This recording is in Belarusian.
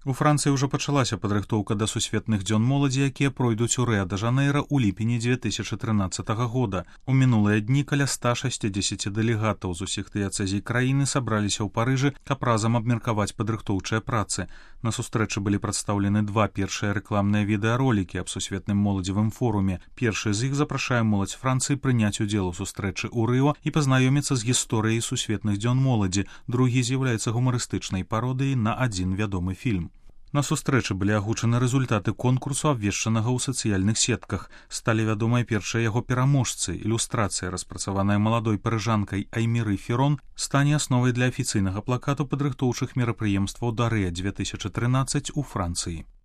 У Францыі ўжо пачалася падрыхтоўка да сусветных дзён моладзі, якія пройдуць у Рыа-дэ-Жанэйра ў ліпені 2013 года. У мінулыя дні каля 160 дэлегатаў з усіх дыяцэзій краіны сабраліся ў Парыжы, каб разам абмеркаваць падрыхтоўчыя працы. На сустрэчы былі прадстаўлены два першыя рэкламныя відэаролікі аб сусветным моладзевым форуме. Першы з іх запрашае моладзь Францыі прыняць удзел у сустрэчы ў Рыо і пазнаёміцца з гісторыяй сусветных дзён моладзі. Другі з'яўляецца гумарыстычнай пародыяй на адзін вядомы фільм. На сустрэчы былі агучаны рэзультаты конкурсу, абвешчанага ў сацыяльных сетках. Сталі вядомыя першыя яго пераможцы. Ілюстрацыя, распрацаваная маладой парыжанкай Айміры Ферон, стане асновай для афіцыйнага плакату падрыхтоўчых мерапрыемстваў да Рыа 2013 у Францыі.